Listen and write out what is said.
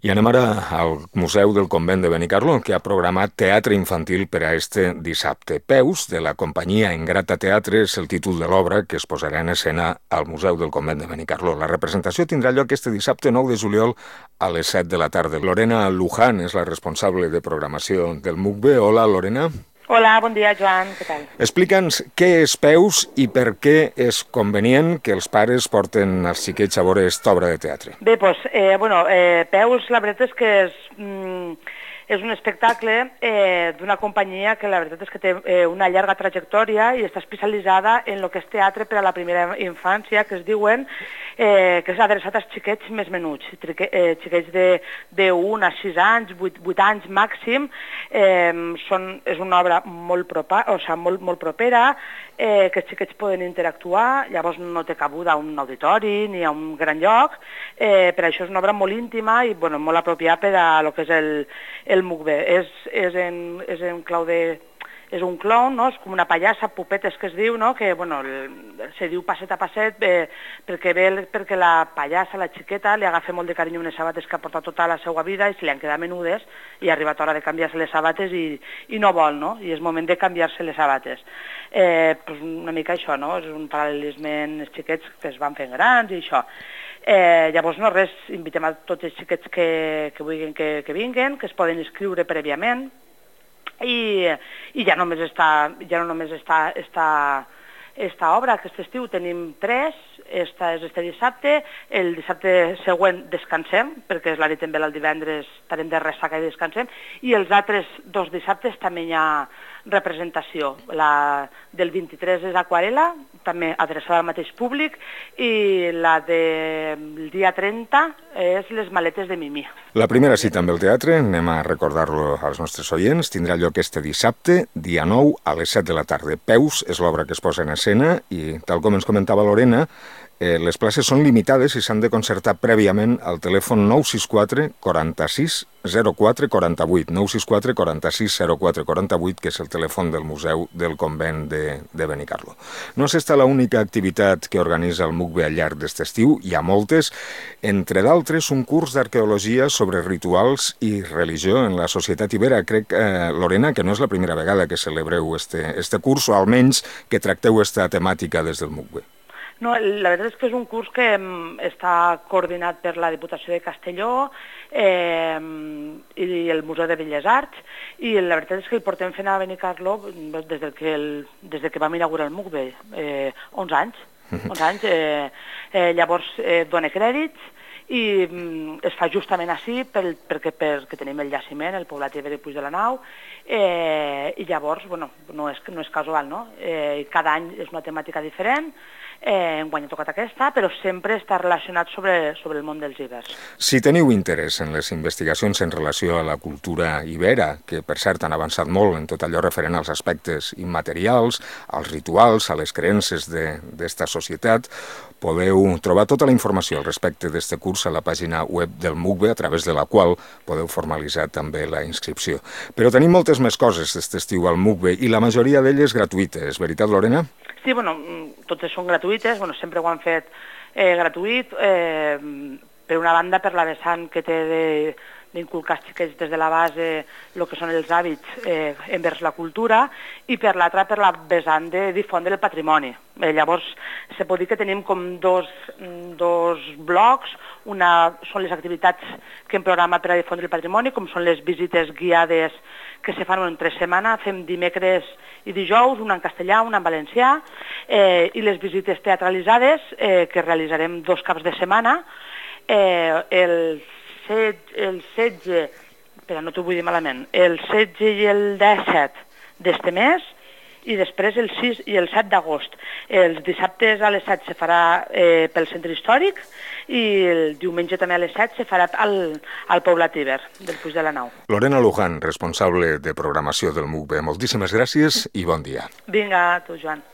I anem ara al Museu del Convent de Benicarló, que ha programat teatre infantil per a este dissabte. Peus, de la companyia Engrata Teatre, és el títol de l'obra que es posarà en escena al Museu del Convent de Benicarló. La representació tindrà lloc este dissabte 9 de juliol a les 7 de la tarda. Lorena Luján és la responsable de programació del MUCBE. Hola, Lorena. Hola, bon dia, Joan, què tal? Explica'ns què és Peus i per què és convenient que els pares porten els xiquets a veure aquesta obra de teatre. Bé, doncs, Peus, la veritat és que és un espectacle d'una companyia que la veritat és que té una llarga trajectòria i està especialitzada en el que és teatre per a la primera infància, que es diuen, que és adreçat als xiquets més menuts, xiquets de 1 a 6 anys, 8 anys màxim. És una obra molt propera, que els xiquets poden interactuar, llavors no té cabuda a un auditori ni a un gran lloc, per això és una obra molt íntima i molt apropiada per a lo que és el MUCBE. És en clau de... És un clown, no? És com una pallassa, pupetes que es diu, no? Que se diu passet a passet perquè la pallassa, la xiqueta, li agafa molt de carinyo unes sabates que ha portat tota la seva vida i se li han quedat menudes i ha arribat l'hora de canviar-se les sabates i no vol, no? I és moment de canviar-se les sabates. Una mica això, no? És un paral·lelisme en els xiquets que es van fent grans i això. Llavors, no res, invitem a tots els xiquets que vulguin que vinguen, que es poden inscriure prèviament, i ja no només està esta obra, aquest estiu tenim 3, esta és este dissabte, el dissabte següent descansem, perquè és la nit també el divendres estarem de ressaca i descansem, i els altres 2 dissabtes també hi ha representació. La del 23 és Aquarela, també adreçada al mateix públic, i la del dia 30 és Les maletes de Mimí. La primera cita amb el teatre, anem a recordar-lo als nostres oients, tindrà lloc este dissabte, dia 9, a les 7 de la tarda. Peus és l'obra que es posa en escena i, tal com ens comentava Lorena, les places són limitades i s'han de concertar prèviament al telèfon 964 46 04 48, 964 46 04 48, que és el telèfon del Museu del Convent de Benicarló. No és esta l'única activitat que organitza el MUCBE al llarg d'aquest estiu, hi ha moltes, entre d'altres un curs d'arqueologia sobre rituals i religió en la societat ibera. Crec, Lorena, que no és la primera vegada que celebreu este curs, o almenys que tracteu esta temàtica des del MUCBE. No, la veritat és que és un curs que està coordinat per la Diputació de Castelló i el Museu de Belles Arts, i la veritat és que el portem fent a Benicarló des que vam inaugurar el MUCBE, 11 anys. 11 anys. Llavors dona crèdits i es fa justament així perquè tenim el jaciment, el poblat ibèric de Puig de la Nau, i llavors no és casual, no? Cada any és una temàtica diferent. Enguany ha tocat aquesta, però sempre està relacionat sobre el món dels ibers. Si teniu interès en les investigacions en relació a la cultura ibera, que per cert han avançat molt en tot allò referent als aspectes immaterials, als rituals, a les creences d'esta societat, podeu trobar tota la informació al respecte d'aquest curs a la pàgina web del MUCBE, a través de la qual podeu formalitzar també la inscripció. Però tenim moltes més coses d'aquest estiu al MUCBE i la majoria d'elles gratuïtes, veritat, Lorena? Sí, totes són gratuïtes, sempre ho han fet gratuït, per una banda per la vessant que té d'inculcar als xiquets des de la base el que són els hàbits envers la cultura, i per l'altra per la vessant de difondre el patrimoni. Llavors, se pot dir que tenim com dos blocs. Una són les activitats que hem programat per a difondre el patrimoni, com són les visites guiades que se fan entre setmana, fem dimecres i dijous, una en castellà, una en valencià, i les visites teatralitzades que realitzarem 2 caps de setmana, el 16, espera, no t'ho vull dir malament, el 16 i el 17 d'este mes, i després el 6 i el 7 d'agost. Els dissabtes a les 7 se farà pel centre històric i el diumenge també a les 7 se farà al poblat iber del Puig de la Nau. Lorena Luján, responsable de programació del MUCBE. Moltíssimes gràcies i bon dia. Vinga, tu, Joan.